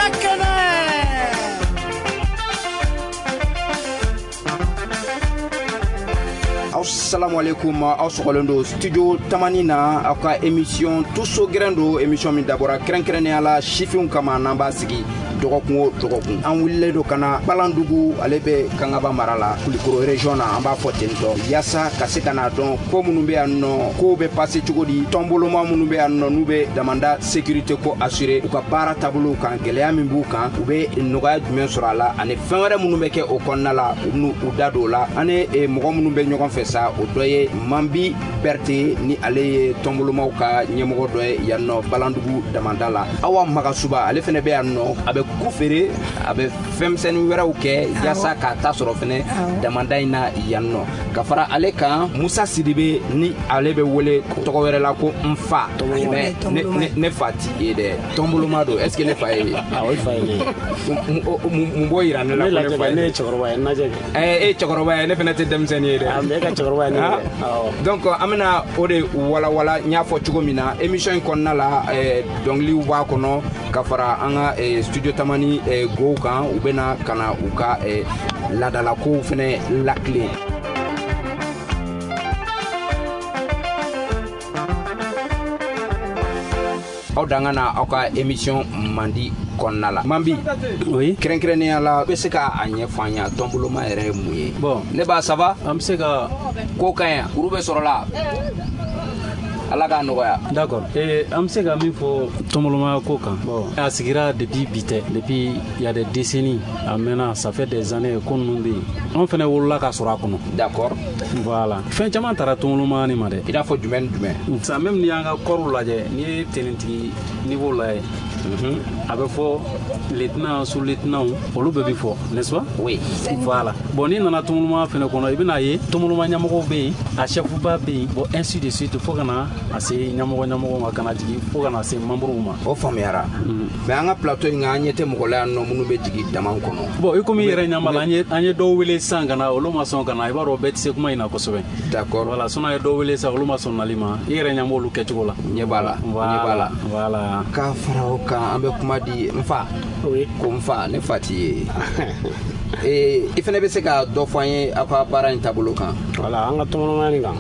Ka kɛnɛ. Aw salamu aleykum, aw sɔgɔlen don studio Tamani na, aw ka émission Tuso Gɛrɛn don, émission min dabɔra kɛrɛnkɛrɛnnenya la sifinw kama, n'an b'a sigi dɔgɔkun o dɔgɔkun. An wulilen don ka na Balandugu, ale bɛ Kangaba mara la, Kulikoro région na, an b'a fɔ ten tɔ, yaasa ka se ka n'a dɔn ko minnu bɛ yan nɔ, kow bɛ passer cogo di, tɔnboloma minnu bɛ yan nɔ, n'u bɛ damanda sécurité ko assurer, u ka baara taabolow kan, gɛlɛya min b'u kan, u bɛ nɔgɔya jumɛn sɔrɔ a la, ani fɛn wɛrɛ minnu bɛ kɛ o kɔnɔna la, u bɛn'u u da don o la. An ni mɔgɔ minnu bɛ ɲɔgɔn fɛ sa, o dɔ ye Manbi Berete, ni ale ye tɔnbolomaw ka ɲɛmɔgɔ dɔ ye yan nɔ Balandugu damanda la. Awa Magasuba, ale fɛnɛ bɛ yan nɔ, a bɛ ku feere, a bɛ fɛnmisɛnnin wɛrɛw kɛ yaasa k'a ta sɔrɔ fɛnɛ damanda in na yan nɔ. Ka fara ale kan, Musa Sidibe, ni ale bɛ wele tɔgɔ wɛrɛ la ko n fa, mais ne fa ti ye dɛ, tɔnboloma don. Est ce que ne fa ye? Awɔ, i fa ye ne ye. Mun b'o yira ne la ko ne fa ye? Ne ye cɛkɔrɔba ye, n lajɛ kɛ. E ye cɛkɔrɔba ye, ne fɛnɛ tɛ denmisɛnnin ye dɛ. Ah, mais e ka cɛkɔrɔba ye ne ye dɛ. Awɔ. Donc an bɛna o de walawala, n y'a fɔ cogo min na émission in kɔnɔna la, dɔnkiliw b'a kɔnɔ ka fara an ka studio Tamani gow kan, u bɛna ka na u ka laadalakow fɛnɛ lakilen. Aw dan ka na aw ka émission mandi kɔnɔna la. Manbi, Oui. kɛrɛnkɛrɛnnenya la, bɛ se ka a ɲɛfɔ an ye tɔnboloma yɛrɛ ye mun ye? Bon. Ne b'a ça va? An bɛ se ka ko ka ɲi, kuru bɛ sɔrɔ la. Ala k'a nɔgɔya. D'accord. An bɛ se ka min fɔ tɔnbolomaya ko kan. Bon, a sigira depuis bi tɛ, depuis il y a des décennies, a mɛnna, ça fait des années ko ninnu bɛ yen. Anw fɛnɛ wolola ka sɔrɔ a kɔnɔ. D'accord. Voilà. Fɛn caman taara tɔnbolomaya nin ma dɛ. I n'a fɔ jumɛn ni jumɛn? Sisan même n'i y'an ka kɔriw lajɛ, n'i ye tenitigi niveau lajɛ, a bɛ fɔ lieutenant, sous-lieutenant, olu bɛɛ bɛ fɔ, n'est-ce pas? Oui. Voilà. Bon, n'i nana tɔnbolomaya fɛnɛ kɔnɔ, i bɛna ye tɔnboloma ɲɛmɔgɔw bɛ yen, a chef-ba bɛ yen, bon, ainsi de suite, fo ka na a se ɲɛmɔgɔ ɲɛmɔgɔ ma, ka na jigin fo ka na se membre ma. O faamuyara. Mais an ka plateau in kan, an ɲɛ tɛ mɔgɔ la yan nɔ minnu bɛ jigin dama kɔnɔ. Bon, i komi i yɛrɛ ɲɛ b'a la, an ye dɔw wele sisan ka na, olu ma sɔn ka na, i b'a dɔn bɛɛ tɛ se kuma in na kosɛbɛ. D'accord. Voilà, sinon an ye dɔw wele sisan, olu ma sɔn nali ma. I yɛrɛ ɲɛ b'olu kɛcogo la. Ɲɛ b'a la. Ɲɛ b'a la. Voilà. K'a fara o kan, an bɛ kuma di n fa. Oui. Ko n fa, ne fa t'i ye. I fɛnɛ bɛ se ka dɔ fɔ an ye aw ka baara in taabolo kan? Voilà, an ka tɔnbolomaya nin kan,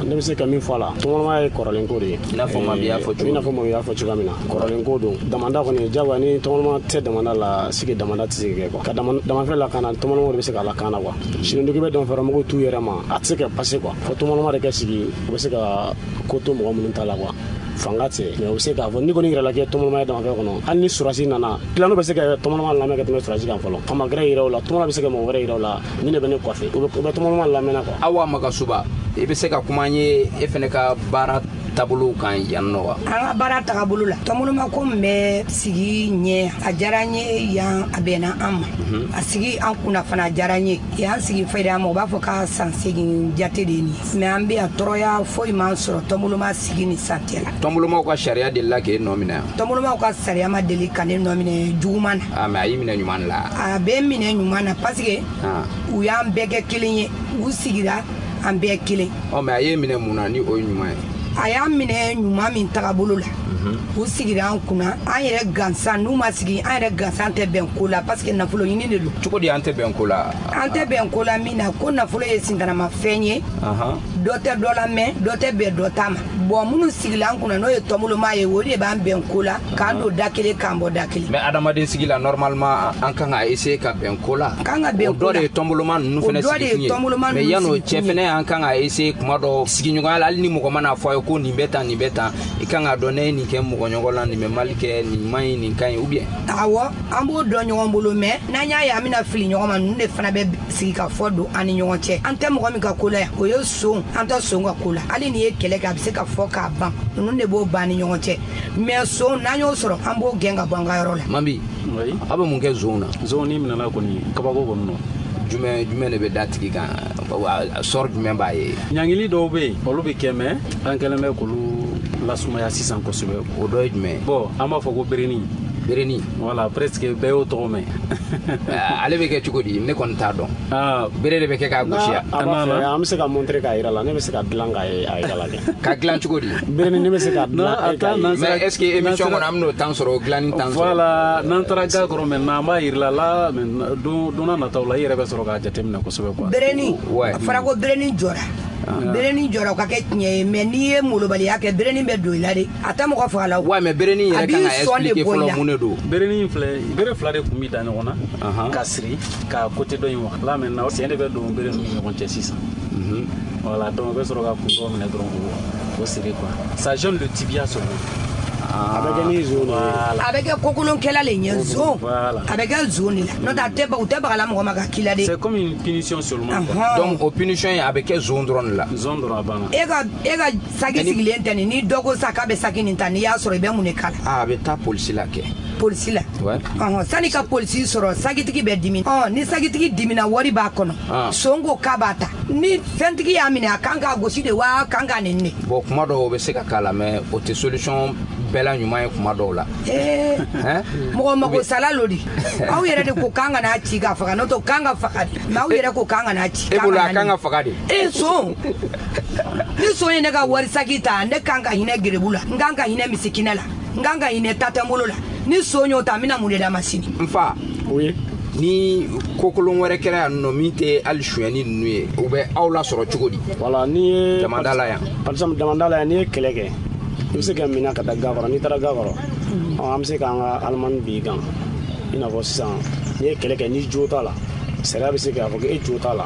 ne bɛ se ka min fɔ a la, tɔnbolomaya ye kɔrɔlen ko de ye. I n'a fɔ Mami y'a fɔ cogo I n'a fɔ Mami y'a fɔ cogoya min na, kɔrɔlen ko don. Damanda kɔni, jagoya ni tɔnboloma tɛ damanda la, sigi damanda tɛ se ka kɛ quoi. Ka damafɛn lakana, tɔnboloma de bɛ se k'a lakana quoi. Sinon n'i bɛ damafɛnmɔgɔw t'u yɛrɛ ma, a tɛ se ka passer quoi. Fo tɔnboloma de ka sigi, u bɛ se ka ko to mɔgɔ minnu ta la quoi. Fanga tɛ, mais u bɛ se k'a fɔ n'i kɔni yɛrɛ la kɛ tɔnboloma ye damafɛn kɔnɔ, hali ni sɔrɔdasi nana, tilanu bɛ se ka tɔnboloma lamɛn ka tɛmɛ sɔrɔdasi kan fɔlɔ. Fama gɛrɛ yɛrɛ o la, tɔnboloma bɛ se ka mɔgɔ wɛrɛ yɛrɛ o la, ni ne bɛ ne kɔfɛ, u bɛ tɔnboloma lamɛnna quoi. Awa Magasuba, i bɛ se ka kuma an ye e fɛnɛ ka baara taabolow kan yan nɔ wa? An ka baara tagabolo la, tɔnboloma ko min bɛ sigi ɲɛ, a diyara n ye yan, a bɛnna an ma. A sigi an kunna fana, a diyara n ye. Yan sigi fɛrɛ an ma, u b'a fɔ k'a san segin jate de ye nin ye. Mais an bɛ yan, tɔɔrɔya foyi m'an sɔrɔ tɔnboloma sigi ni san cɛ la. Tɔnbolomaw ka sariya delila k'e nɔ minɛ? Tɔnbolomaw ka sariya ma deli ka ne nɔ minɛ juguman na. Ah, mais a y'i minɛ ɲuman la. A bɛ n minɛ ɲuman na parce que u y'an bɛɛ kɛ kelen ye, u sigira an bɛɛ kelen. Ɔ, mais a y'e minɛ mun na ni o ye ɲuman ye? A y'an minɛ ɲuman min tagabolo la, u sigira an kunna, an yɛrɛ gansan, n'u ma sigi, an yɛrɛ gansan tɛ bɛn ko la parce que nafolo ɲini de don. Cogo di an tɛ bɛn ko la? An tɛ bɛn ko la min na, ko nafolo ye sintanamafɛn ye. Dɔ tɛ dɔ la mɛn, dɔ tɛ bɛn dɔ ta ma. Bon, minnu sigila an kunna, n'o ye tɔnboloma ye, o de b'an bɛn ko la, k'an don da kelen, k'an bɔ da kelen. Mais adamaden sigi la, normalement an kan ka essayer ka bɛn ko la. Kan ka bɛn O ko dɔ de la. ye tɔnboloma ninnu fɛnɛ O dɔ de ye sigi kun ye. tɔnboloma Mais ninnu yan'o sigi cɛ kun ye. fɛnɛ, an kan ka essayer kuma dɔ sigiɲɔgɔnya la, hali ni mɔgɔ mana fɔ a ye ko nin bɛ tan, nin bɛ tan, i kan k'a dɔn ne ye nin kɛ mɔgɔ ɲɔgɔn la, nin bɛ mali kɛ, nin man ɲi, nin ka ɲi, ou bien? Awɔ, an b'o dɔn ɲɔgɔn bolo, mais n'an y'a ye an bɛna fili ɲɔgɔn ma, ninnu de fana bɛ sigi ka fɔ don an ni ɲɔgɔn cɛ. An tɛ mɔgɔ min ka ko la yan, o ye son, an tɛ son ka ko la. Hali n'i ye kɛlɛ kɛ, a bɛ se ka fɔ k'a ban, ninnu de b'o ban ni ɲɔgɔn cɛ. Mais son, n'an y'o sɔrɔ, an b'o gɛn ka bɔ an ka yɔrɔ la. Manbi, Oui. aw bɛ mun kɛ zon na? Zon n'i minɛna kɔni, kabako kɔni don. Jumɛn de bɛ da tigi kan? Sɔrɔ jumɛn b'a ye? Ɲangili dɔw bɛ yen, olu bɛ kɛ, mais an kɛlen bɛ k'olu lasumaya sisan kosɛbɛ. O dɔ ye jumɛn ye? Bon, an b'a fɔ ko berenin. Bereni. Voilà, presque bɛɛ y'o tɔgɔ mɛn. Ale bɛ kɛ cogo di? Ne kɔni t'a dɔn. Bere de bɛ kɛ k'a gosi ya. A b'a fɛ an bɛ se ka montrer k'a yira la, ne bɛ se ka dilan k'a yira la kɛ. Ka dilan cogo di? Bereni ne bɛ se ka dilan. Mais est-ce que émission kɔnɔ an bɛn'o temps sɔrɔ, o dilanni temps sɔrɔ? Voilà, n'an taara ga kɔrɔ maintenant an b'a yira la, don n'a nataw la i yɛrɛ bɛ sɔrɔ k'a jateminɛ kosɛbɛ quoi. Bereni. A fɔra ko bereni jɔra. Bereni jɔra o ka kɛ tiɲɛ ye, mais n'i ye molobaliya kɛ bereni bɛ don i la de, a tɛ mɔgɔ faga la o. Ouais, mais bereni yɛrɛ kan ka expliquer fɔlɔ mun de don. Bereni filɛ, bere fila de kun bɛ da ɲɔgɔn na ka siri ka côté dɔ in wa. Là maintenant sen de bɛ don bere ninnu ni ɲɔgɔn cɛ sisan. Voilà, donc o bɛ sɔrɔ ka kun dɔ minɛ dɔrɔn k'o siri quoi. Ça gêne le tibia seulement. A bɛ kɛ ni zon de ye. A bɛ kɛ kokolonkɛla le ɲɛ zon. A bɛ kɛ zon de la. N'o tɛ a tɛ u tɛ bagala mɔgɔ ma ka k'i la dɛ. C'est comme une punition seulement. Donc o punition in a bɛ kɛ zon dɔrɔn de la. Zon dɔrɔn a banna. E ka saki sigilen tɛ nin, ni dɔ ko sa k'a bɛ saki nin ta, n'i y'a sɔrɔ i bɛ mun de k'a la? A bɛ taa polisi la kɛ. Polisi la. Sani ka polisi sɔrɔ, sakitigi bɛ dimi. Ni sakitigi dimina wari b'a kɔnɔ. Son ko k'a b'a ta. Ni fɛntigi y'a minɛ a kan k'a gosi de wa a kan k'a nɛni de. Bon, kuma dɔw o bɛ se ka k'a la, mais o tɛ solution bɛɛ la ɲuman ye kuma dɔw la. Mɔgɔ mago sala lo di. Aw yɛrɛ de ko k'an kana ci ka faga, n'o tɛ k'an ka faga de. Mais aw yɛrɛ ko k'an kana ci. E bolo a kan ka faga de. Son. Ni son ye ne ka wari saki ta, ne kan ka hinɛ gerebu la, n kan ka hinɛ misikinɛ la, n kan ka hinɛ tatɛnbolo la. Ni son y'o ta, n bɛna mun de d'a ma sini? N fa. Oui. Ni kokolon wɛrɛ kɛra yan nɔ min tɛ hali sonyɛni ninnu ye, u bɛ aw lasɔrɔ cogo di? Voilà, n'i ye damanda la yan. Par exemple damanda la yan, n'i ye kɛlɛ kɛ, i bɛ se ka minɛ ka taa ga kɔrɔ. N'i taara ga kɔrɔ, an bɛ se k'an ka alimani b'i kan. I n'a fɔ sisan n'i ye kɛlɛ kɛ, n'i jo t'a la, sariya bɛ se k'a fɔ k'e jo t'a la.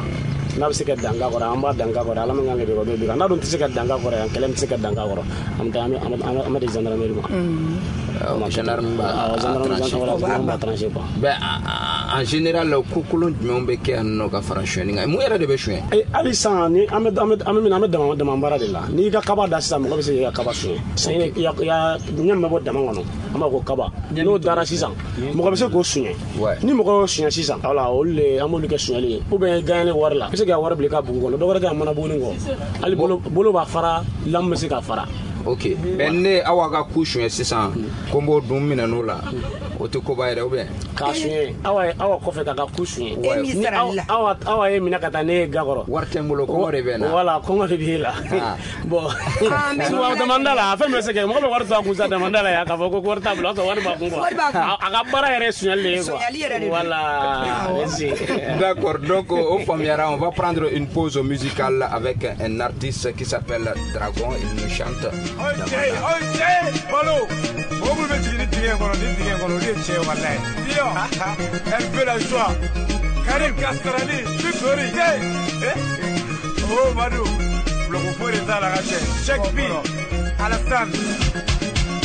N'a bɛ se ka dan ga kɔrɔ, an b'a dan ga kɔrɔ, ala min kan ka bɛn o bɛ bin kan. N'a dun tɛ se ka dan ga kɔrɔ yan, kɛlɛ min tɛ se ka dan ga kɔrɔ, an bɛ taa an bɛ di gendarmerie ma. Gendarme b'a tranché quoi. Ben en général kokolon jumɛnw bɛ kɛ yan nɔ ka fara sonyɛni kan? Mun yɛrɛ de bɛ sonyɛ? Hali sisan ni an bɛ dama baara de la. N'i ka kaba da sisan, mɔgɔ bɛ se k'i ka kaba sonyɛ. Sisan i ya ɲɛ min bɛ bɔ dama kɔnɔ, an b'a ko kaba. N'o dara sisan, mɔgɔ bɛ se k'o sonyɛ. Ni mɔgɔ y'o sonyɛ sisan, voilà, olu de an b'olu kɛ sonyɛli ye. Ou bien gagné wari la, i bɛ se k'i ka wari bila i ka bugu kɔnɔ, dɔ wɛrɛ kɛ a mana buguni kɔ. Hali bolo b'a fara, lamu bɛ se k'a fara. Ok, mais ne aw ka ku suɲɛ sisan, ko n b'o dun minɛ n'o la, o tɛ koba yɛrɛ ou bien? K'a suɲɛ, awa kɔfɛ k'a ka ku suɲɛ. Awa ye minɛ ka taa ne ye ga kɔrɔ. Wari tɛ n bolo, kɔngɔ de bɛ n na. Voilà, kɔngɔ de b'e la. Bon, souvent damanda la, a fɛn bɛ se kɛ, mɔgɔ bɛ wari to a kun sa damanda la yan, k'a fɔ ko wari t'a bolo, o y'a sɔrɔ wari b'a kun quoi. A ka baara yɛrɛ ye suɲɛli de ye quoi. Voilà, merci. D'accord, donc o faamuyara, on va prendre une pause musicale avec un artiste qui s'appelle Dragon, il nous chante. Ok, ok, balo. Mɔgɔ minnu bɛ jigin ni dingɛ kɔnɔ, ni dingɛ kɔnɔ, olu ye tiɲɛ walayi. Diyo, elle veut la joie. Karim Kastarani, Sukori, oh Madu, bulɔku foyi de t'a la ka cɛ. Cheikh B, Alassane.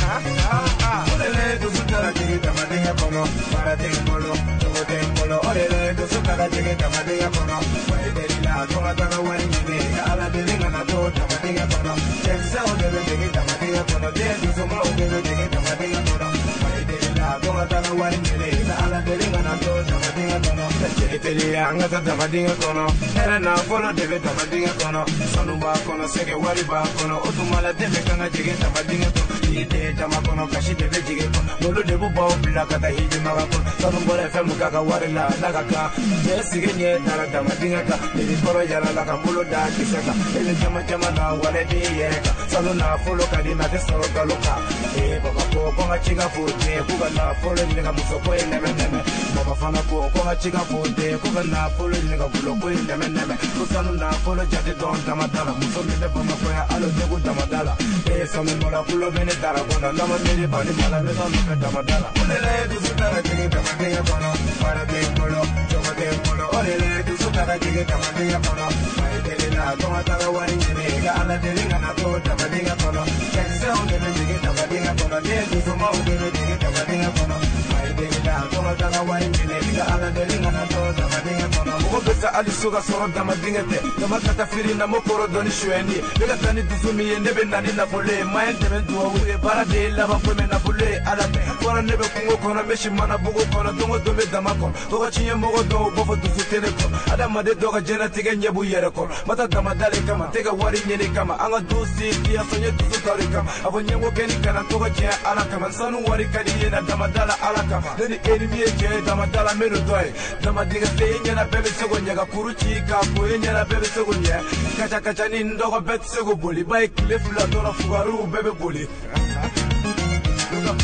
O de la dusu taara jigin dama dingɛ kɔnɔ, baara tɛ n bolo, cogo tɛ n bolo. O de la dusu taara jigin dama dingɛ kɔnɔ, wa i deli la ko ka taga wari ɲini, ka Ala deli kana to dama dingɛ kɔnɔ. Cɛkisɛw de bɛ jigin dama dingɛ kɔnɔ, den dusumaw de bɛ jigin dama dingɛ kɔnɔ. Wa i deli la ko ka taga wari ɲini, ka Ala deli kana to dama dingɛ kɔnɔ. Cɛ teliya an ka taa dama dingɛ kɔnɔ, hɛrɛ nafolo de bɛ dama dingɛ kɔnɔ. Sanu b'a kɔnɔ, sɛgɛ wari b'a kɔnɔ, o tuma la den bɛ kan ka jigin dama dingɛ kɔnɔ. N'i den jama kɔnɔ, kasi de bɛ jigin kɔnɔ, n'olu de b'u baw bila ka taa hiji maga kɔnɔ. Sanu bɔra fɛn mun k'a ka wari la, n'a ka kan. Cɛ sigi ɲɛ dara dama dingɛ kan, n'i kɔrɔ yala la ka bolo da kisɛ kan. E bɛ jama jama na wale b'i yɛrɛ kan. Sanu nafolo ka di ma tɛ sɔrɔ nkalon kan. Ee baba ko ko n ka ci ka fo den, k'u ka nafolo ɲini ka muso ko in nɛmɛ nɛmɛ. Baba fana ko ko n ka ci ka fo den, k'u ka nafolo ɲini ka gulo ko in nɛmɛ nɛmɛ. Ko sanu nafolo jate dɔn dama da la, muso min bɛ Bamakɔ yan hali o degun dama da la. Ee sanu bɔra kulo bɛ ne dara kɔnɔ, n'a ma miiri bani mala bɛ taa nɔfɛ dama da la. O de la dusu taara jigin dama dingɛ kɔnɔ, baara tɛ n bolo, cogo tɛ n bolo. O de la dusu taara jigin dama dingɛ kɔnɔ, wa i deli la ko n ka taga wari ɲini, ka Ala deli kana to dama dingɛ kɔnɔ. Cɛkisɛw de bɛ jigin dama dingɛ kɔnɔ, den dusumaw de bɛ jigin dama dingɛ kɔnɔ. Wa i deli la ko n ka taga wari ɲini, ka Ala deli kana to dama dingɛ kɔnɔ. Mɔgɔ bɛ sa hali so ka sɔrɔ dama dingɛ tɛ, dama ka taa feere na mo kɔrɔ dɔn ni sonyɛni ye. Ne ka taa ni dusu min ye, ne bɛ na ni nafolo ye. Ma ye dɛmɛ duwawu ye, baara de ye laban ko mɛ nafolo ye Ala fɛ. Fɔlɔ kɔnɔ ne bɛ kungo kɔnɔ n bɛ si mana bugu kɔnɔ don o don bɛ dama kɔnɔ tɔgɔ tiɲɛ mɔgɔ dɔw b'a fɔ dusu tɛ ne kɔnɔ adamaden dɔw ka diɲɛlatigɛ ɲɛ b'u yɛrɛ kɔrɔ ma taa damada de kama tɛ ka wari ɲini kama an ka du si tiyaso ye dusu ta de kama a fɔ ɲɛngo kɛ ni kana tɔgɔ tiɲɛ ala kama sanu wari ka di ye na damada la ala kama ne ni e ni min ye cɛ ye damada la n bɛ n'o dɔ ye damadigɛ se e ɲɛna bɛɛ bɛ se k'o ɲɛ ka kuru ci k'a ko e ɲɛna bɛɛ bɛ se k'o ɲɛ kaca kaca ni n dɔgɔ bɛɛ tɛ se k'o boli ba ye tile fila dɔrɔn fugariw bɛɛ bɛ boli.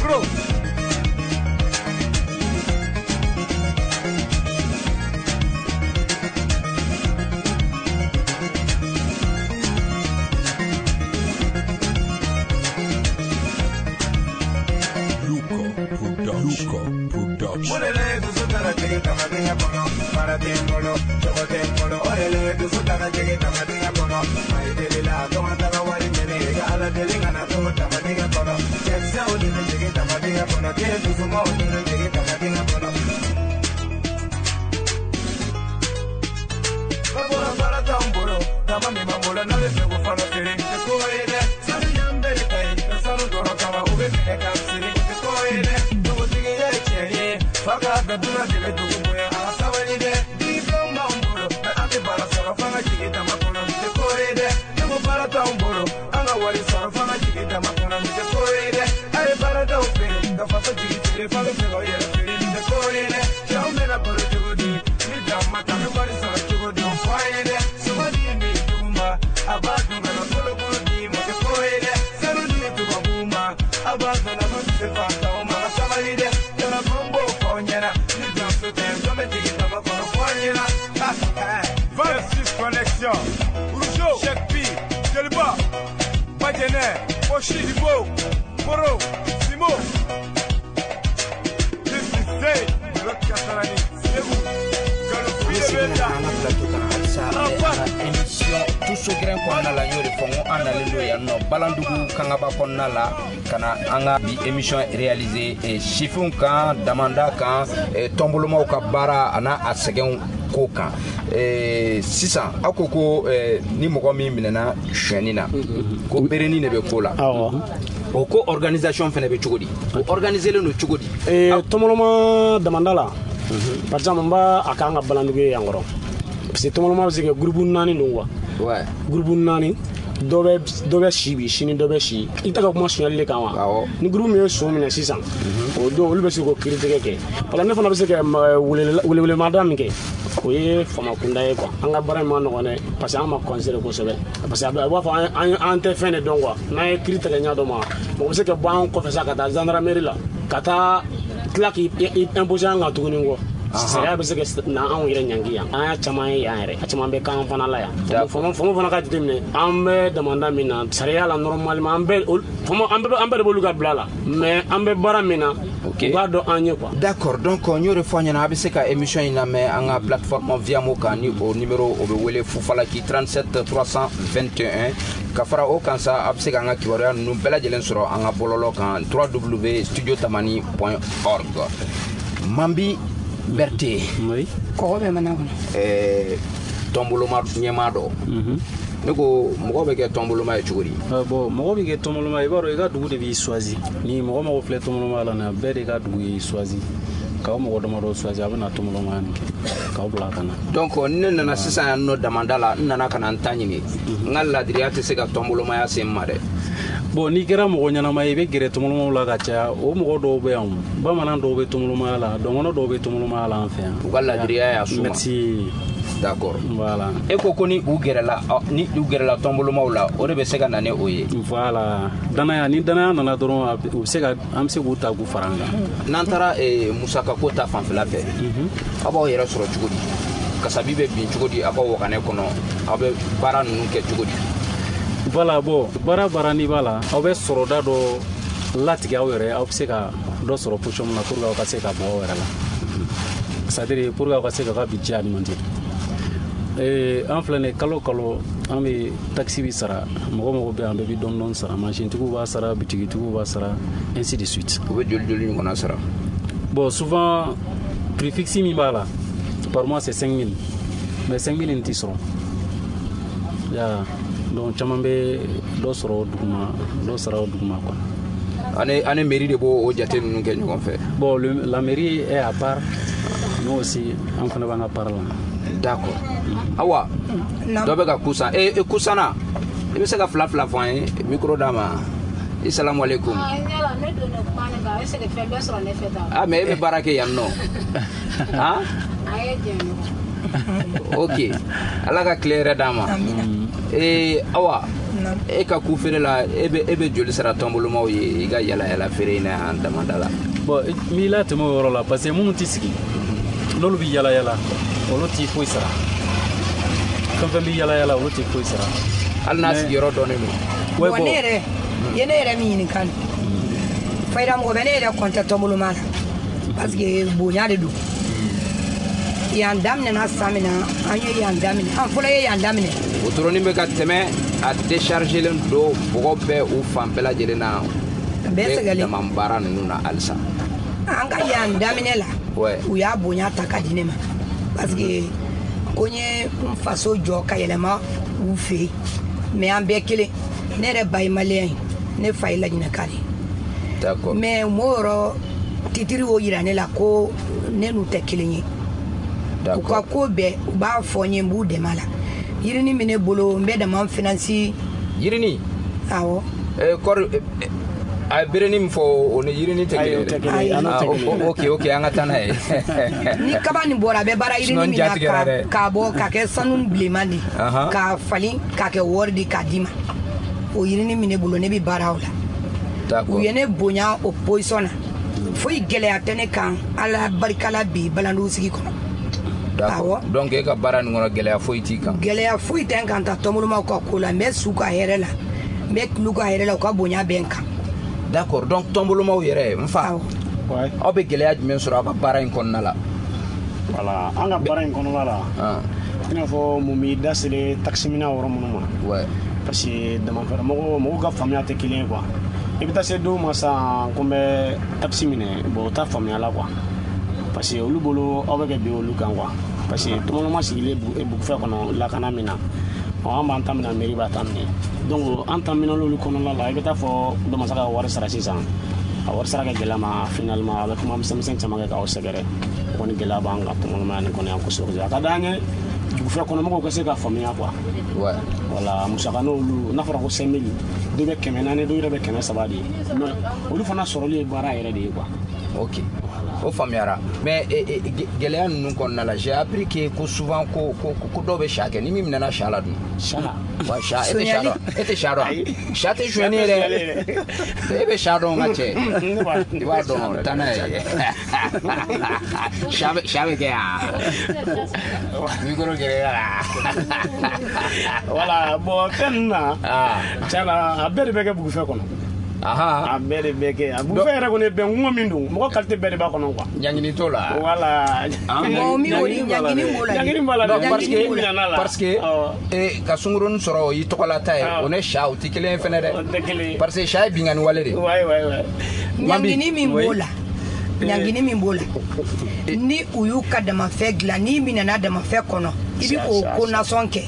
Bro. Orele dusu taara jigin tamadenya kɔnɔ baara tɛ n bolo cogo tɛ n bolo orele dusu taara jigin tamadenya kɔnɔ mayi deli la tɔgɔ taga wari ɲini i ka ala deli kana to tamadenya kɔnɔ cɛkisɛw de bɛ jigin tamadenya kɔnɔ den dusumaw de bɛ jigin tamadenya kɔnɔ. Babɔra baara t'anw bolo dama min b'an bolo n'a bɛ fɛ k'o fana feere tɛ ko ye dɛ sanu y'an bɛɛ de ta ye ka sanu dɔrɔn kama u bɛ minɛ k'an siri tɛ ko ye dɛ. Dugutigiya ye tiɲɛ ye fa k'a bɛɛ dunan de bɛ dugu bonya a ka sabali dɛ diplôme b'anw bolo mɛ an tɛ baara sɔrɔ f'an ka jigin dama kɔnɔ nin tɛ ko ye dɛ ne ko baara t'anw bolo an ka wari sɔrɔ f'an ka jigin dama kɔnɔ nin tɛ ko ye dɛ a ye baaradaw feere ka faso jigi feere f'an bɛ fɛ k'aw yɛrɛ feere nin tɛ ko ye dɛ cɛw bɛna balo cogo di ni dan ma ta bɛ wari sɔrɔ cogo di o fɔ an ye dɛ sogo di min jugu ma a b'a dun ka na kolokolo di ma tɛ ko ye dɛ sanu di tubabuw ma a b'a dɔn na ko tɛ se fantanw ma ka sabali dɛ telefɔni b'o fɔ aw ɲɛna ni danso tɛ jɔn bɛ jigin dama kɔnɔ fɔ an ɲɛna. 26 connexions Rougeau, Cheikh P, Jeliba, Badjene, Oshi, Ibo, Koro, Simo. This is Zay, Rock Kasarani, Segu, An bɛ segin ka na an ka plateau kan halisa an ka émission Tuso Gɛrɛn kɔnɔna la n y'o de fɔ n ko an nalen don yan nɔ Balandugu Kangaba kɔnɔna la ka na an ka bi émission réaliser sifinw kan damanda kan tɔnbolomaw ka baara a n'a a sɛgɛnw ko kan. Sisan aw ko ko ni mɔgɔ min minɛna sonyɛni na ko berenin de bɛ ko la. O ko organisation fɛnɛ bɛ cogo di? O organiselen don cogo di? Tɔnboloma damanda la par exemple n b'a a k'an ka Balandugu ye yan kɔrɔ parce que tɔnboloma bɛ se ka groupe 4 don quoi. Ouais. Groupe 4 dɔ bɛ si bi sini dɔ bɛ si i tɛ ka kuma sonyali de kan wa. Ni groupe min ye son minɛ sisan o don olu bɛ se k'o kiiritigɛ kɛ voilà ne fana bɛ se ka welewelemada min kɛ o ye faama kunda ye quoi. An ka baara in ma nɔgɔn dɛ parce que an ma considéré kosɛbɛ parce que a b'a fɔ an tɛ fɛn de dɔn quoi. N'an ye kiiri tigɛ ɲɛ dɔ ma mɔgɔ bɛ se ka bɔ an kɔfɛ sa ka taa gendarmerie la ka taa tila k'i imposer an kan tuguni kɔ. Sariya bɛ se ka na anw yɛrɛ ɲangi yan an y'a caman ye yan yɛrɛ a caman bɛ k'an fana la yan faamaw fana ka jateminɛ an bɛ damanda min na sariya la normalement an bɛɛ de b'olu ka bila la mais an bɛ baara min na u b'a dɔn an ye quoi. D'accord, donc n y'o de fɔ an ɲɛna a bɛ se ka émission in lamɛn an ka plateforme Viamo kan ni o numéro o bɛ wele Fufalaki 37 321 ka fara o kan sa a bɛ se k'an ka kibaruya ninnu bɛɛ lajɛlen sɔrɔ an ka bɔlɔlɔ kan www.studiotamani.org. Mambi Berthe. Oui. Kɔgɔ bɛ mana kɔnɔ. Tɔnboloma ɲɛmaa dɔ. Ne ko mɔgɔ bɛ kɛ tɔnboloma ye cogo di? Bon mɔgɔ bɛ kɛ tɔnboloma ye i b'a dɔn i ka dugu de b'i choisi. Ni mɔgɔ mɔgɔ filɛ tɔnboloma la nin bɛɛ de ka dugu y'i choisi. K'aw mɔgɔ damadɔ choisi a bɛ na tɔnbolomaya nin kɛ k'aw bila ka na. Donc ni ne nana sisan yan nɔ damanda la n nana ka na n ta ɲini. N ka ladiriya tɛ se ka tɔnbolomaya se n ma dɛ. Bon n'i kɛra mɔgɔ ɲɛnama ye i bɛ gɛrɛ tɔnbolomaw la ka caya o mɔgɔ dɔw bɛ yan bamanan dɔw bɛ tɔnbolomaya la dɔnkɔnɔ dɔw bɛ tɔnbolomaya la an fɛ yan. U ka ladiriya y'a suma. Merci. D'accord. Voilà. E ko ko ni u gɛrɛla tɔnbolomaw la o de bɛ se ka na ni o ye. Voilà. Danaya ni danaya nana dɔrɔn u bɛ se ka an bɛ se k'u ta k'u fara an kan. N'an taara musakako ta fanfɛla fɛ. Aw b'aw yɛrɛ sɔrɔ cogo di? Kasabi bɛ bin cogo di aw ka waganɛ kɔnɔ? Aw bɛ baara ninnu kɛ cogo di? Voilà, bon baara n'i b'a la aw bɛ sɔrɔda dɔ latigɛ aw yɛrɛ aw bɛ se ka dɔ sɔrɔ position min na pour que aw ka se ka bɔ aw yɛrɛ la c'est à dire pour que aw ka se k'aw ka budget alimenter. An filɛ nin ye kalo kalo an bɛ taxi bi sara mɔgɔ bɛ yan bɛɛ bɛ dɔɔni dɔɔni sara mansintigiw b'a sara bitigitigiw b'a sara ainsi de suite. U bɛ joli joli ɲɔgɔnna sara? Bon souvent prix fixe min b'a la par mois c'est 5 000 mais 5 000 in tɛ sɔrɔ. Ya donc caman bɛ dɔ sɔrɔ o duguma dɔ sara o duguma quoi. Ani mairie de b'o o jate ninnu kɛ ɲɔgɔn fɛ. Bon, la mairie est à part, nous aussi an fana b'an ka part la. D'accord. Awa, dɔ bɛ ka kusan e kusana, i bɛ se ka fila fila fɔ an ye, micro d'a ma. I salamu aleykum. Ah, mais e bɛ baara kɛ yan nɔ. Han? Ok, Ala ka tile yɛrɛ d'an ma. Awa, e ka ku feere la, e bɛ joli sara tɔnbolomaw ye i ka yala yala feere in na yan damanda la? Bon, n b'i latɛmɛ o yɔrɔ la parce que minnu tɛ sigi, n'olu bɛ yala yala, olu t'i foyi sara. Fɛn fɛn bɛ yala yala, olu t'i foyi sara. Hali n'a sigiyɔrɔ dɔnnen don. Bon, ne yɛrɛ ye ne yɛrɛ min ɲininka nin, fayida mɔgɔ bɛ ne yɛrɛ kɔntɛ tɔnboloma la parce que bonya de don. Yan daminɛna san min na, an ye yan daminɛ, an fɔlɔ ye yan daminɛ. Wotoronin bɛ ka tɛmɛ, a déchargelen don, bɔgɔ bɛɛ u fan bɛɛ lajɛlen na. Bɛɛ sɛgɛlen. Dama baara ninnu na halisa. An ka yan daminɛ la, u y'a bonya ta ka di ne ma parce que ko n ye n faso jɔ ka yɛlɛma u fɛ yen, mais an bɛɛ kelen. Ne yɛrɛ ba ye maliyɛn ye, ne fa ye laɲinɛka de ye. D'accord. Mais m'o yɔrɔ titiri y'o yira ne la ko ne n'u tɛ kelen ye. U ka ko bɛɛ u b'a fɔ n ye, n b'u dɛmɛ a la. Yirini min ne bolo, n bɛ dama finance. Yirini? Awɔ. Kɔri a ye berenin min fɔ, o ni yirini tɛ kelen ye dɛ. Ok, ok, an ka taa n'a ye. Ni kaba nin bɔra, a bɛ baara yirini min na k'a bɔ k'a kɛ sanu bilenman di, k'a falen k'a kɛ wari di k'a d'i ma. O yirini min ne bolo, ne bɛ baara o la. U ye ne bonya o position na. Foyi gɛlɛya tɛ ne kan, Ala barika la bi Balandugu sigi kɔnɔ. D'accord. Donc e ka baara nin kɔnɔ, gɛlɛya foyi t'i kan? Gɛlɛya foyi tɛ n kan ta tɔnbolomaw ka ko la. N bɛ su ka hɛrɛ la, n bɛ tulu ka hɛrɛ la, u ka bonya bɛ n kan. D'accord. Donc tɔnbolomaw yɛrɛ, n fa, aw bɛ gɛlɛya jumɛn sɔrɔ aw ka baara in kɔnɔna la? Voilà, an ka baara in kɔnɔna la, i n'a fɔ mun b'i da selen taxi minɛ yɔrɔ minnu ma, parce que damafɛrɛ mɔgɔw ka faamuya tɛ kelen ye quoi. I bɛ taa se dɔw ma sisan ko n bɛ taxi minɛ, bon, o t'a faamuya la quoi, parce que olu bolo aw bɛ kɛ bin olu kan quoi. Parce que tɔnbɔlɔma sigilen bugufɛ kɔnɔ lakana min na, an b'an ta minɛ, mairie b'a ta minɛ. Donc an ta minɛ olu kɔnɔna la, i bɛ taa fɔ dɔ ma se ka wari sara sisan, a wari sara ka gɛlɛya ma, finalement a bɛ kuma misɛnmisɛn caman kɛ k'aw sɛgɛrɛ. O kɔni gɛlɛya b'an kan tɔnbɔlɔmaya nin kɔnɔ yan kosɛbɛ kosɛbɛ. A ka d'an ye dugufɛ kɔnɔmɔgɔw ka se ka faamuya quoi. Voilà, musaka n'olu n'a fɔra ko 5000, dɔ bɛ 400, dɔw yɛrɛ bɛ 300 de ye, mais olu fana sɔrɔli ye baara yɛrɛ de ye quoi. Ok, o faamuyara. Mais gɛlɛya ninnu kɔnɔna la, j'ai appris que ko souvent ko ko dɔw bɛ sa kɛ, ni min minɛna sa la dun? Sa? Wa sa, e tɛ sa dɔn? E tɛ sa dɔn? Sa tɛ sonyɛni ye dɛ. E bɛ sa dɔn, n ka cɛ? I b'a dɔn, taa n'a ye. Sa bɛ kɛ yan. Micro gɛrɛ la. Voilà, bon, fɛn ninnu na, tiɲɛ na, a bɛɛ de bɛ kɛ bugufɛ kɔnɔ. A bɛɛ de bɛ kɛ. A bugufɛ yɛrɛ kɔni ye bɛnkungo min don, mɔgɔ qualité bɛɛ de b'a kɔnɔ quoi. Ɲangini t'o la. Voilà. Bon, min o ni ɲangini b'o la. Ɲangini b'a la. Non, parce que ka sunkurunin sɔrɔ o y'i tɔgɔlata ye, o ni sa o tɛ kelen ye fɛnɛ dɛ. O tɛ kelen ye. Parce que sa ye binkanni wale de ye. Ouais, ouais, ouais. Ɲangini min b'o la. Ɲangini min b'o la, ni u y'u ka damafɛ dilan, n'i minɛna damafɛ kɔnɔ, i bɛ k'o ko nasɔn kɛ.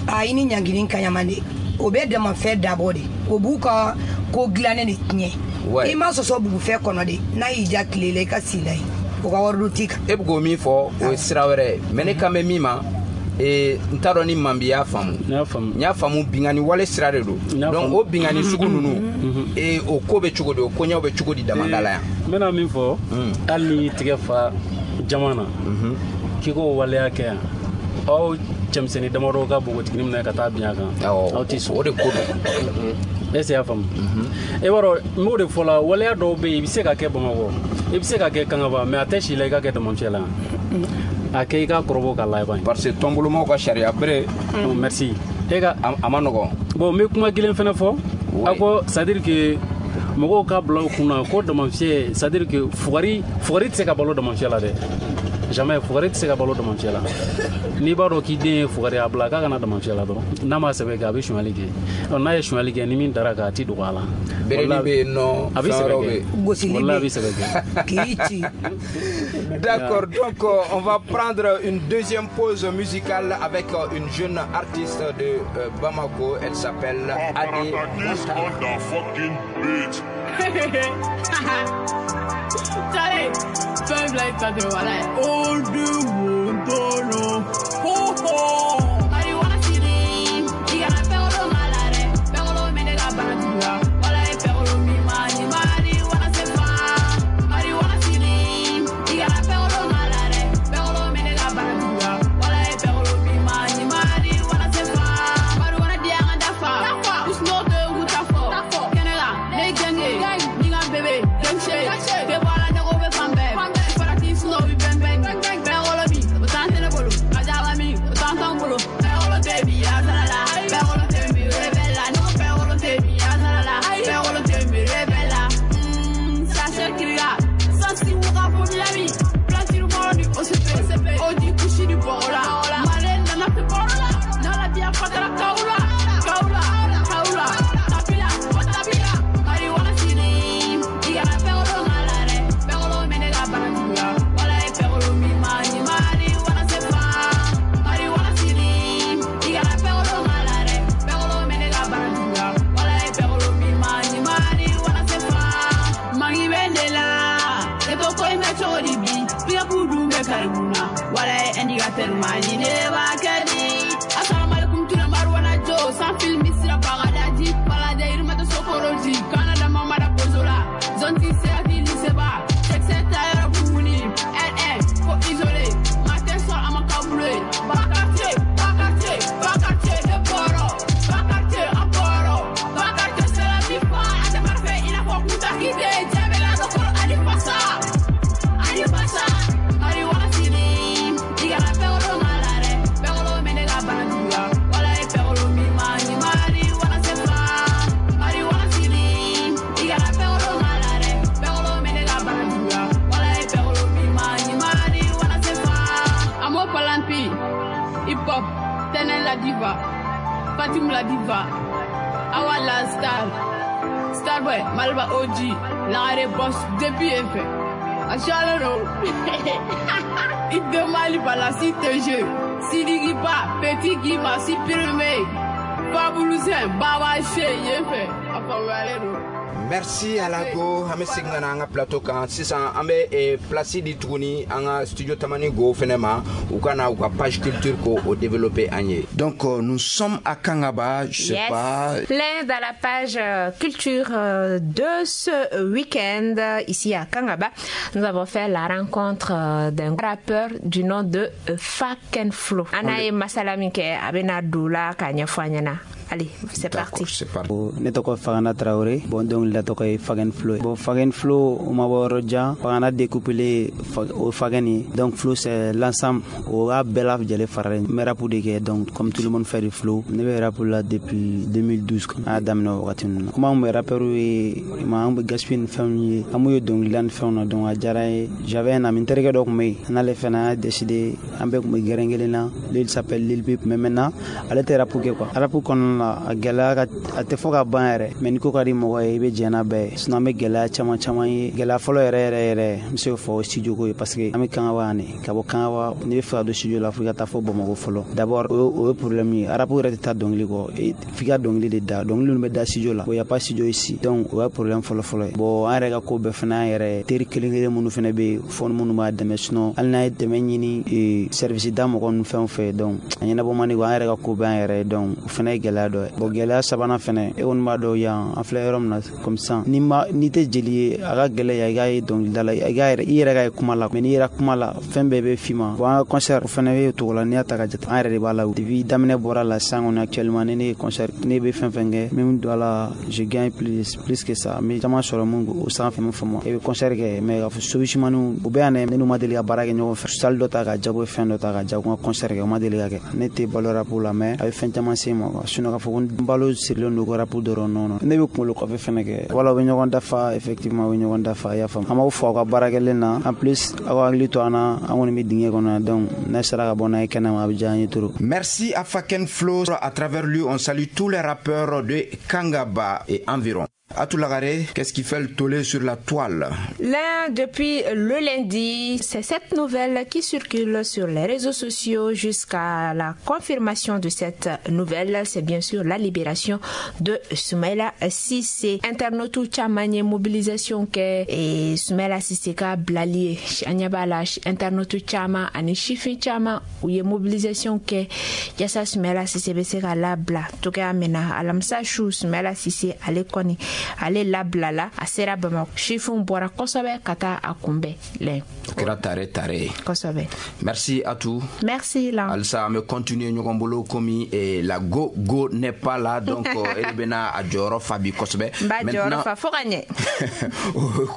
A i ni ɲangini ka ɲama de. O bɛ damafɛ dabɔ de, o b'u ka ko dilannen de tiɲɛ. I ma sɔsɔ bugufɛ kɔnɔ de, n'a y'i ja tile la, i ka si la yen, o ka wari dun t'i kan. E bɛ k'o min fɔ, o ye sira wɛrɛ ye, mais ne kan bɛ min ma, n t'a dɔn ni Manbi y'a faamu. N y'a faamu, binkanni wale sira de don. Donc o binkanni sugu ninnu, o ko bɛ cogo di, o koɲɛw bɛ cogo di damanda la yan? N bɛna min fɔ, hali n'i tigɛ fa jama na, k'i k'o waleya kɛ yan, aw cɛmisɛnnin damadɔ ka npogotiginin minɛ ka taa bin a kan, aw tɛ sɔn. O de ko don. Est ce que i y'a faamu? E b'a dɔn, n b'o de fɔ la, waleya dɔw bɛ yen, i bɛ se ka kɛ Bamakɔ, i bɛ se ka kɛ Kangaba, mais a tɛ si la i ka kɛ Damafiyɛ la. A kɛ i ka kɔrɔbɔ ka laban. Parce que tɔnbolomaw ka sariya bere. Merci. E ka a ma nɔgɔn. Bon, n bɛ kuma kelen fɛnɛ fɔ. A ko c'est à dire que mɔgɔw ka bila u kunna ko Damafiyɛ, c'est à dire que fugari tɛ se ka balo Damafiyɛ la dɛ. Jamais, fugari tɛ se ka balo Damafiyɛ la. N'i b'a dɔn k'i den ye fugari, a bila k'a kana Damafiyɛ la dɔrɔn. N'a ma sɛbɛ kɛ, a bɛ sonyali kɛ. N'a ye sonyali kɛ, ni min dara kan, a ti dogo a la. Bereni bɛ yen nɔ, a bɛ sɛbɛ kɛ. Gosili bɛ yen. A bɛ sɛbɛ kɛ. K'i ci. D'accord, donc on va prendre une deuxième pause musicale avec une jeune artiste de Bamako. Elle s'appelle Ade Montana. Charlie, fɛn fila in ta tɛ wala ye. O du wo ho ho. Marijuana sini, i kana fɛnkolo ma la dɛ. Fɛnkolo min ne ka bana juguya. Wala ye fɛnkolo min ma ɲi. Marijuana se fa. Marijuana sini, i kana fɛnkolo ma la dɛ. Fɛnkolo min ne ka bana juguya. Wala ye fɛnkolo min ma ɲi. Marijuana se fa. Marijuana di an ka dafa. Usno tɛ k'u ta fɔ. Kɛnɛ kan, ne ye gang ye. Ni ka bébé, gang shit. K'e bɔ a la ne ko bɛ fan bɛɛ. Farati sunɔ bi bɛn bɛn. Fɛnkolo bi, o t'an tɛ ne bolo. A jaba min, o t'an t'anw bolo. Fɛnkolo tɛ bi, a sara la. Fɛnkolo tɛ mi, rebelle la. Ne ko fɛnkolo tɛ bi, a sara la. Fɛnkolo tɛ mi, rebelle la. Sachet kiriya. Sansi wuka fo Miami. Plantire mɔrɔ ni OCP. Oji kusi ni bɔgɔ la. Male nana fi bɔrɔ la. N'ala biya fatara kawula. Kawula, kawula. Tapila, o tapila. Marijuana sini, i kana fɛnkolo ma la dɛ. Fɛnkolo min ne ka bana juguya. Wala ye fɛnkolo min ma ɲi. Marijuana se fa. Marijuana sini, i kana fɛnkolo ma la dɛ. Fɛnkolo min ne ka bana juguya. Wala ye fɛnkolo min ma ɲi. Marijuana se fa. Mangi bɛ ne la. E ko ko in bɛ cogo di bi? Pick-up dun bɛ kari mun na? Wala ye indicateur ma ɲi. Ne b'a kɛ di? Asalaamaaleykum ture marijuana jo. Sans film sira bagadaji. Balade yirimata sokoroji. Canada mamada bozola. Zone 6 serati liseba. Texte tayɔrɔ bumuni. R1 fo isolé. Matin soir a ma kabule. Ba quartier, ba quartier, ba quartier ne bɔrɔ. Ba quartier an bɔrɔ. Ba quartier c'est la vie fa. A tɛ parfait i n'a fɔ Kunta Kinte. Jɛbɛla dɔkɔrɔ ani fasa. Ani fasa. Marijuana sini, i kana fɛnkolo ma la dɛ. Fɛnkolo min ne ka bana juguya. Wala ye fɛnkolo min ma ɲi. Marijuana se fa. Marijuana sini, i kana fɛnkolo ma la dɛ. Fɛnkolo min ne ka bana juguya. Wala ye fɛnkolo min ma ɲi. Marijuana se fa. Amo Palampi, hip hop, Tenen la diva, Fatim la diva, Awa la star, Starboy, Malba OG, Lare Boss, depuis F. Achalero. Il Mali par la cité jeu. Sidi Giba, Petit Giba, Sipirme, Fabulusin, Baba Che, Yefe. Afawalero. Merci Alago, an bɛ segin ka na an ka plateau kan sisan. An bɛ place di tuguni an ka studio Tamani go fɛnɛ ma, u ka na u ka page culture ko o développer an ye. Donc nous sommes à Kangaba, je sais Yes. pas. Plein dans la page culture de ce week-end ici à Kangaba. Nous avons fait la rencontre d'un rappeur du nom de Faken Flo. Ana ye masala min kɛ, a bɛna don la k'a ɲɛfɔ an ɲɛna. Allez, c'est parti. C'est parti. Ne tɔgɔ Fagana Traoré. Bon, dɔnkilida tɔgɔ ye Fagen Flo ye. Bon, Fagen Flo, o ma bɔ yɔrɔ jan. Fagana découpé o Fagen ye. Donc Flo, c'est l'ensemble, o y'a bɛɛ lajɛlen faralen. N bɛ rap de kɛ, donc comme tout le monde fait du flow. Ne bɛ rap la depuis 2012, an y'a daminɛ o wagati ninnu na. Comme an kun bɛ rappeur ye ma, an bɛ gaspiller ni fɛnw ye, an b'u ye dɔnkilida ni fɛnw na, donc a diyara n ye. J'avais un ami, n terikɛ dɔ kun bɛ yen, an n'ale fɛnɛ an y'a décidé, an bɛɛ kun bɛ gɛrɛn kelen na. Lui, il s'appelle Lil Bip, mais maintenant ale tɛ rap kɛ quoi. Rap kɔnɔna la, a gɛlɛya ka a tɛ fɔ ka ban yɛrɛ, mais ni ko ka di mɔgɔ ye, i bɛ jɛn n'a bɛɛ ye. Sinon an bɛ gɛlɛya caman caman ye. Gɛlɛya fɔlɔ yɛrɛ yɛrɛ yɛrɛ, n bɛ se k'o fɔ, o studio ko ye, parce que an bɛ Kangaba yan de. Ka bɔ Kangaba, n'i bɛ fɛ ka don studio la, fo i ka taa fɔ Bamakɔ fɔlɔ d'abord. O ye problème ye. Rap yɛrɛ tɛ taa dɔnkili kɔ, f'i ka dɔnkili de da. Dɔnkili ninnu bɛ da studio la, o y a pas studio ici, donc o ye problème fɔlɔ fɔlɔ ye. Bon, an yɛrɛ ka ko bɛɛ fana an yɛrɛ ye. Teri kelen kelen minnu fana bɛ yen fɔ minnu b'a dɛmɛ, sinon hali n'an ye dɛmɛ ɲini service da mɔgɔ ninnu fɛn o fɛn, donc a ɲɛnabɔ man di quoi. An yɛrɛ ka ko bɛɛ an yɛrɛ ye, donc o fana ye gɛlɛya dɔ ye. Bon, gɛlɛya sabanan fɛnɛ, e kɔni b'a dɔn yan an filɛ yɔrɔ min na comme ça, ni ma n'i tɛ jeli ye, a ka gɛlɛ yan i k'a ye dɔnkilida la, i k'a yɛrɛ i yɛrɛ ka ye kuma la, mais n'i yɛrɛ kuma la, fɛn bɛɛ bɛ f'i ma. Bon, an ka concert o fɛnɛ bɛ o cogo la. N'i y'a ta ka jate, an yɛrɛ de b'a la depuis daminɛ bɔra la sisan kɔni. Actuellement ni ne ye concert, ne bɛ fɛn fɛn kɛ, min don a la, je gagne plus plus que ça. N bɛ caman sɔrɔ mun o sanfɛ mun faamu. I bɛ concert kɛ, mais k'a fɔ solutionmaniw o bɛ yan dɛ, ne n'u ma deli ka baara kɛ ɲɔgɔn fɛ, salle dɔ ta ka jago, fɛn dɔ ta ka jago, n ka concert kɛ, o ma deli ka kɛ. Ne tɛ balo rap la, mais a bɛ fɛn caman se n ma quoi. Sinon k'a fɔ ko n balo sirilen don ko rap dɔrɔn, non non. Ne bɛ kunkolo kɔfɛ fɛnɛ kɛ. Wala u bɛ ɲɔgɔn dafa, effectivement u bɛ ɲɔgɔn dafa, i y'a faamu. An b'aw fo aw ka baarakɛlen na. En plus aw ka hakili to an na, an kɔni bɛ dingɛ kɔnɔ yan, donc n'a sera ka bɔ n'a ye kɛnɛma, a bɛ diya an ye trop. Merci à Faken Flo. À travers lui, on salue tous les rappeurs de Kangaba et environ. Atou Lagaré, qu'est-ce qui fait le tollé sur la toile? Là, depuis le lundi, c'est cette nouvelle qui circule sur les réseaux sociaux jusqu'à la confirmation de cette nouvelle. C'est bien sûr la libération de Soumaïla Cissé. Internaute caman ye mobilisation kɛ et Soumaïla Cissé ka bilali ye. An ɲɛ b'a la, internaute caman ani sifin caman, u ye mobilisation kɛ yasa Soumaïla Cissé bɛ se ka labila cogoya min na. Alamisa su, Soumaïla Cissé ale kɔni ale labilala, a sera Bamakɔ, sifinw bɔra kosɛbɛ ka taa a kunbɛn lɛ. O kɛra tare tare ye. Kosɛbɛ. Merci Atou. Merci la. Halisa an bɛ continuer ɲɔgɔn bolo komi la go go n'est pas là, donc e de bɛna a jɔyɔrɔ fa bi kosɛbɛ. N b'a jɔyɔrɔ fa fo ka ɲɛ.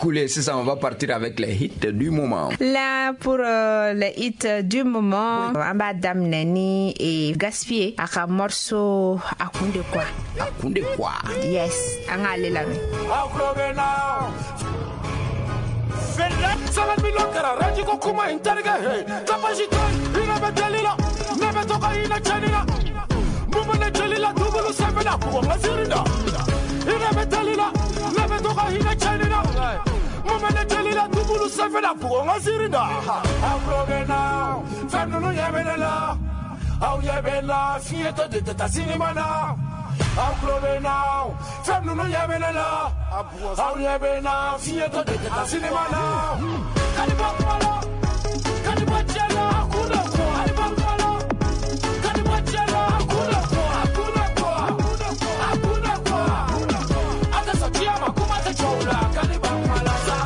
Cool, sisan on va partir avec les hits du moment. Là, pour les hits du moment, an b'a daminɛ ni Gaspi a ka morceau A kun de quoi. A kun de quoi. Yes, an k'ale lamɛn. Aw tulo bɛ na. Sɛbɛn miliyɔn kɛra rɛji ko kuma in terikɛ he tapasi to yen hinɛ bɛ teli la ne bɛ to ka hinɛ cɛnni na mun bɛ ne jeli la dubulu sanfɛ la bugɔ n ka ziiri da hinɛ bɛ teli la ne bɛ to ka hinɛ cɛnni na mun bɛ ne jeli la dubulu sanfɛ la bugɔ n ka ziiri da. Aw tulo bɛ na, fɛn ninnu ɲɛ bɛ ne la, aw ɲɛ bɛ n la, fiɲɛ tɔ de tɛ taa sinima na. Aw tulo bɛ na, fɛn ninnu ɲɛ bɛ ne la, aw ɲɛ bɛ n na, fiɲɛ tɔ de tɛ taa sinima na. Kadiba kuma la, kadiba cɛ la, a kun de kɔ. Kadiba kuma la, kadiba cɛ la, a kun de kɔ. A kun de kɔ, a kun de kɔ. A tɛ sɔn diɲɛ ma, kuma tɛ jɔ o la. Kadiba kuma la sa.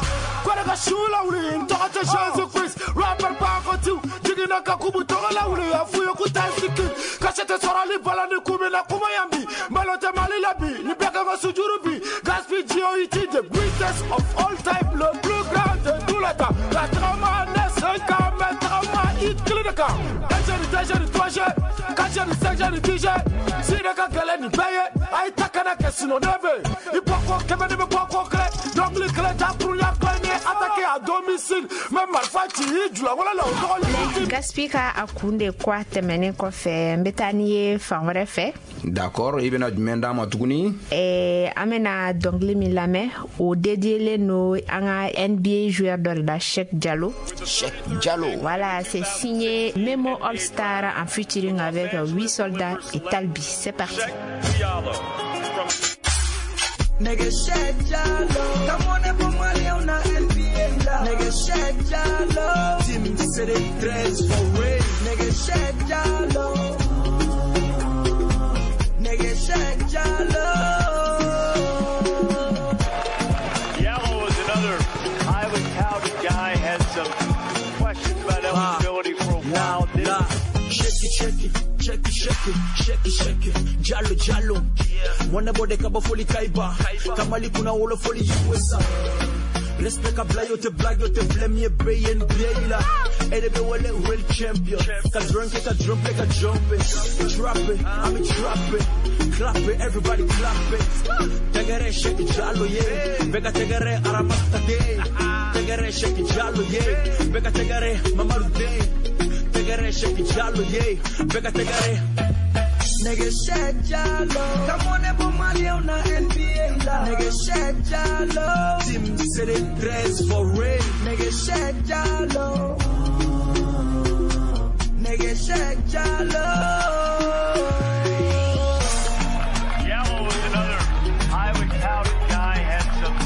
Kɔrɔ ka su lawuli, n tɔgɔ tɛ Jésus Christ, rapper Bakotiw, jiginna ka kubu tɔgɔ lawuli, a f'u ye k'u tɛ sigi. Kasi tɛ sɔrɔli bala ni kun bɛ na kuma yan bi, malo tɛ Mali la bi, ni bɛɛ kan ka sujuru bi. Gaspi G.O.I.T. the greatest of all time, le plus grand de tous les temps. La trama ne 5 ans, mais trama i kelen de kan. 1 G ni 2 G ni 3 G, 4 G ni 5 G ni 10 G. Si ne ka gɛlɛn nin bɛɛ ye, a ye ta kana kɛ sinon ne bɛ. I bɔ ko kɛmɛ ne bɛ bɔ ko kelen, dɔnkili kelen dakurunya kelen ni attaqué à domicile. Mɛ marifa ci i julankolo la o tɔgɔ ni. Gaspi ka A kun de quoi tɛmɛnen kɔfɛ, n bɛ taa n'i ye fan wɛrɛ fɛ. D'accord, i bɛna jumɛn d'an ma tuguni? An bɛna dɔnkili min lamɛn, o dédiélen don an ka NBA joueur dɔ de la, Cheikh Diallo. Cheikh Diallo. Voilà, c'est signé Memo All Star en featuring avec 8 soldats et Talbi. C'est parti. Nigga Cheikh Diallo, come on and put money on the NBA. Nigga Cheikh Diallo, Team City 13 for real. Nigga Cheikh Diallo, nigga Cheikh Diallo. Diallo is another highly touted guy. Had some questions about eligibility for a while. Shake it, shake it, shake it, shake it, shake it, shake it. Diallo, Diallo. Mwana bode kaba foli kaiba. Kamali kuna wolo foli USA. Respect ka bla yo te blague yo te blame ye BNBA la. Edebe wale real champion. Ka drunk ka jump ka jump it. Drop it, I'm a drop it. Clap it, everybody clap it. Tegere shake Diallo yeah. Beka tegere aramata de. Tegere shake Diallo yeah. Beka tegere mamaru de. Tegere shake Diallo yeah. Beka tegere. Nigga Cheikh Diallo, come on and put money on the NBA. Nigga Cheikh Diallo, Team City 13 for real. Nigga Cheikh Diallo, nigga Cheikh Diallo. Diallo was another highly touted guy. Had some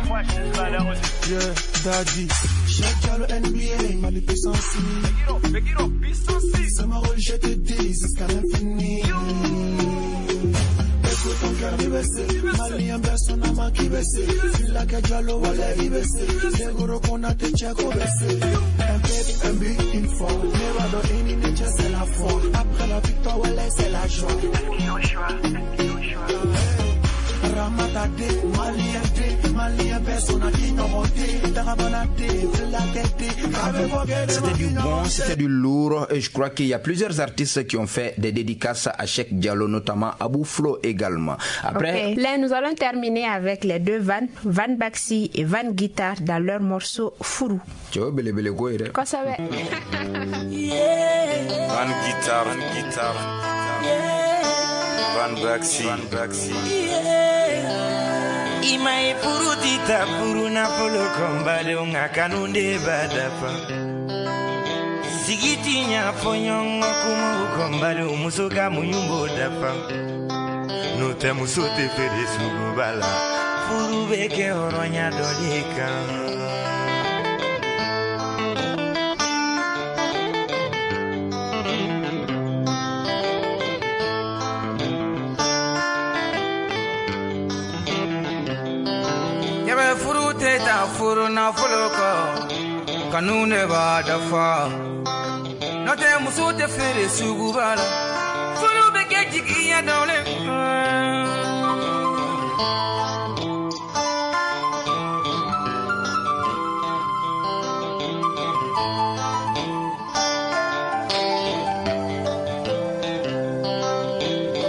questions about eligibility. Yeah, daddy. Cheikh Diallo NBA, Mali puissance. C'est ma rôle, je te dis, jusqu'à l'infini. Écoute ton cœur, IBC. Mali en personne à ma qui baissé. La que Diallo, wale IBC. Seguro qu'on a te check au baissé. Un pep, un but, une fois. Nevado, une c'est la foi. Après la victoire, wale, c'est la joie. Ramatade, Maliente, Malien, personne à qui C'était du bon, c'était du lourd. Et je crois qu'il y a plusieurs artistes qui ont fait des dédicaces à Cheikh Diallo, notamment Abou Flo également. Après, okay. Là, nous allons terminer avec les deux Van, Van Baxi et Van Guitar dans leur morceau Fourou. Quoi ça va? Van Guitar, Van Guitar, Van Baxi, Van Baxi. I ma ye furu ti taa furu nafolo kɔ n badenw nka kanu de b'a dafa. Sigi ti ɲa fɔ ɲɔgɔn kumaw kɔ n badenw muso ka muɲu b'o dafa. N'o tɛ muso tɛ feere suguba la. Furu bɛ kɛ hɔrɔnya dɔ de kan. Furu nafolo kɔ kanu de b'a dafa n'o tɛ muso tɛ feere suguba la furu bɛ kɛ jigiya dɔ le kan.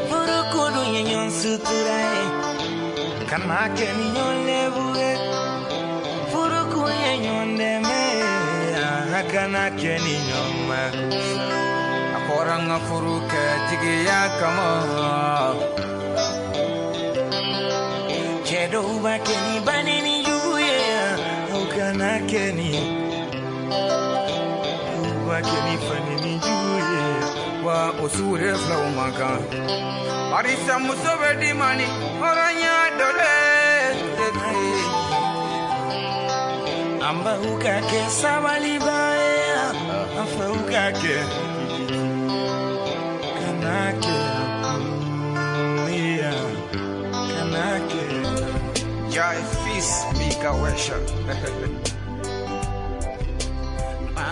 Furu ko dun ye ɲɔgɔn sutura ye kana kɛ ni ɲɔgɔn lebu ye. Kana kɛ ni ɲɔgɔn ma. A fɔra n ka furu kɛ jigiya kama. Cɛ dɔw b'a kɛ ni banni jugu ye, o kana kɛ ni u b'a kɛ ni fanni jugu ye. Wa o sugu de filaw man kan. Barisa muso bɛ di ma ni hɔrɔnya dɔ de ye. An baw ka kɛ sabaliba ye, an faw ka kɛ kana kɛ ya kana kɛ. Jai fils Mika Wesha.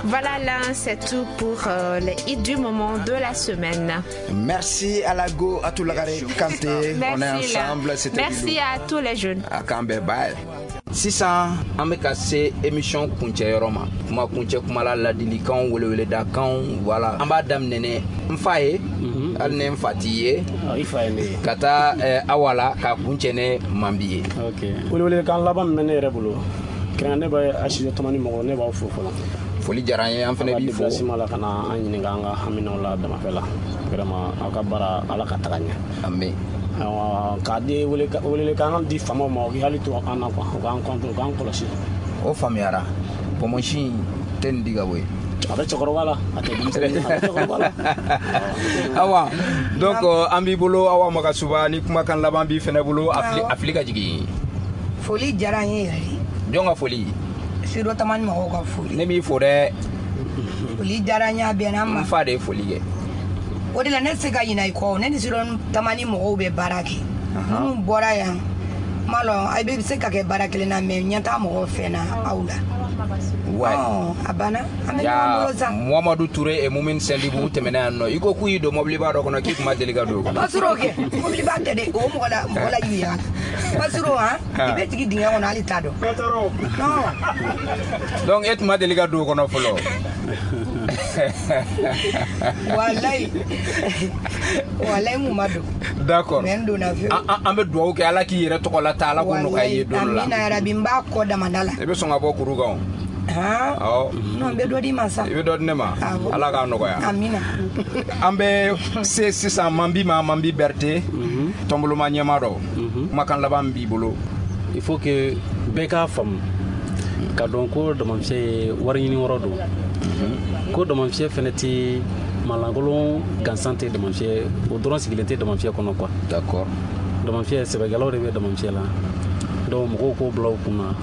Voilà, là, c'est tout pour les hits du moment de la semaine. Merci à Lago, à tout le Kanté. On est ensemble. Merci à tous les jeunes. À Kambé, bye. Sisan an bɛ ka se émission kuncɛyɔrɔ ma. Kuma kuncɛ kuma la ladilikanw weleweledakanw voilà. An b'a daminɛ ni n fa ye, hali ni n fa t'i ye, ka taa Awa la k'a kuncɛ ni Manbi ye. Welewelekan laban min bɛ ne yɛrɛ bolo, kɛrɛnkɛrɛn ne bɛ Asido Tamani mɔgɔ, ne b'aw fo fɔlɔ. Foli diyara an ye, an fana b'i fo. Aw ka déplacement la ka na an ɲininka an ka haminaw la damafɛ la. Vraiment aw ka baara Ala ka taga ɲɛ. Amin. K'a di welelekan di faamaw ma, u k'i hakili to an na quoi, u k'an compte, u k'an kɔlɔsi. O faamuyara. Pɔmɔsi tɛ nin di ka bɔ yen. A bɛ cɛkɔrɔba la, a tɛ denmisɛnnin, a bɛ cɛkɔrɔba la. Awa, donc an b'i bolo Awa Magasuba ni kumakan laban b'i fɛnɛ bolo, a fili ka jigin. Foli diyara n ye yɛrɛ de. Jɔn ka foli? Studio Tamani mɔgɔw ka foli. Ne m'i fo dɛ. Foli diyara n ye, a bɛnna n ma. N fa de ye foli kɛ. O de la ne tɛ se ka ɲinɛ i kɔ, ne ni Studio Tamani mɔgɔw bɛ baara kɛ. Minnu bɔra yan, n m'a lɔn a bɛ se ka kɛ baara kelen na mais ɲɛ t'a mɔgɔw fɛ na aw la. Ouais. A banna, an bɛ ɲɔgɔn bolo sa. Muhamadu Ture et Moumin Sendibou tɛmɛna yan nɔ. I ko k'u y'i don mɔbiliba dɔ kɔnɔ k'i kun ma deli ka don o kɔnɔ. Pasuro kɛ, mɔbiliba tɛ dɛ, o mɔgɔ la mɔgɔ la yuya. Pasuro han, i bɛ jigin dingɛ kɔnɔ hali t'a dɔn. Non. Donc e tun ma deli ka don o kɔnɔ fɔlɔ. Walayi. Walayi n kun ma don. D'accord. Mais n donna fiyewu. An bɛ dugawu kɛ Ala k'i yɛrɛ tɔgɔ la ta, Ala k'o nɔgɔya i ye don dɔ la. Amina yarabi, n b'a kɔ damanda la. I bɛ sɔn ka bɔ kuru kan o. Han? Non, n bɛ dɔ d'i ma sa. I bɛ dɔ di ne ma? Ala k'a nɔgɔya. Amina. An bɛ se sisan Manbi ma, Manbi Berete, tɔnboloma ɲɛmaa dɔ. Kumakan laban b'i bolo. Il faut que bɛɛ k'a faamu ka dɔn ko damafiyɛ ye wari ɲini yɔrɔ don. Ko damafiyɛ fɛnɛ tɛ malankolon gansan tɛ damafiyɛ, o dɔrɔn sigilen tɛ damafiyɛ kɔnɔ quoi. D'accord. Damafiyɛ sɛbɛkɛlaw de bɛ damafiyɛ la. Donc mɔgɔw k'o bila u kunna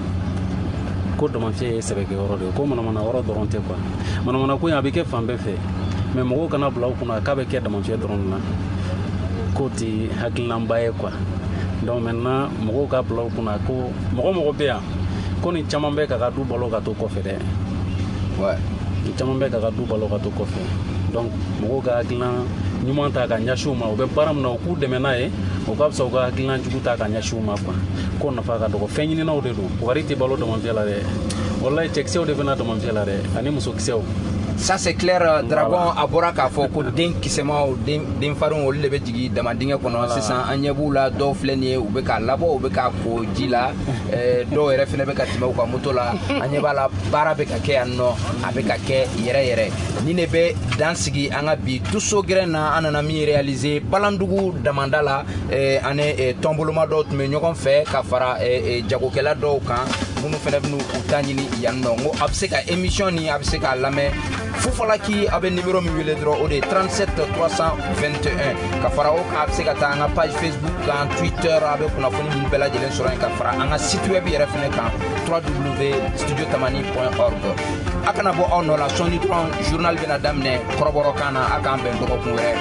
ko damafiyɛ ye sɛbɛkɛyɔrɔ de ye, ko manamana yɔrɔ dɔrɔn tɛ quoi. Manamana ko in a bɛ kɛ fan bɛɛ fɛ, mais mɔgɔw kana bila u kunna k'a bɛ kɛ damafiyɛ dɔrɔn de la, k'o tɛ hakilinaba ye quoi. Donc maintenant mɔgɔw ka bila u kunna ko mɔgɔ bɛ yan ko nin caman bɛ k'a ka du balo ka to kɔfɛ dɛ. Ouais. Nin caman bɛ k'a ka du balo ka to kɔfɛ. Donc mɔgɔw ka hakilina ɲuman ta ka ɲɛsin u ma, u bɛ baara min na u k'u dɛmɛ n'a ye, o ka fisa u ka hakilina jugu ta ka ɲɛsin u ma quoi. Ko nafa ka dɔgɔ, fɛn ɲininaw de don. Wari tɛ balo damafiyɛ la dɛ. Walayi cɛkisɛw de bɛna damafiyɛ la dɛ, ani musokisɛw. Ça c'est clair, Dragon a bɔra k'a fɔ ko den kisɛmaw, den denfarinw, olu de bɛ jigin dama dingɛ kɔnɔ. Sisan an ɲɛ b'u la, dɔw filɛ nin ye, u bɛ k'a labɔ, u bɛ k'a ko ji la. Dɔw yɛrɛ fɛnɛ bɛ ka tɛmɛ u ka moto la. An ɲɛ b'a la, baara bɛ ka kɛ yan nɔ, a bɛ ka kɛ yɛrɛ yɛrɛ. Ni ne bɛ dan sigi an ka bi tuso gɛrɛn na, an nana min réaliser Balandugu damanda la, ani tɔnboloma dɔw tun bɛ ɲɔgɔn fɛ ka fara jagokɛla dɔw kan minnu fɛnɛ bɛn'u u ta ɲini yan nɔ. N ko a bɛ se ka émission nin, a bɛ se k'a lamɛn Fufalaki. A bɛ numéro min wele dɔrɔn, o de ye 37 321. Ka fara o kan, a bɛ se ka taa an ka page Facebook kan, Twitter, a bɛ kunnafoni ninnu bɛɛ lajɛlen sɔrɔ yen, ka fara an ka site web yɛrɛ fɛnɛ kan, www.studiotamani.org. A kana bɔ aw nɔ la, sɔɔni dɔrɔn journal bɛna daminɛ kɔrɔbɔrɔkan na. A k'an bɛn dɔgɔkun wɛrɛ.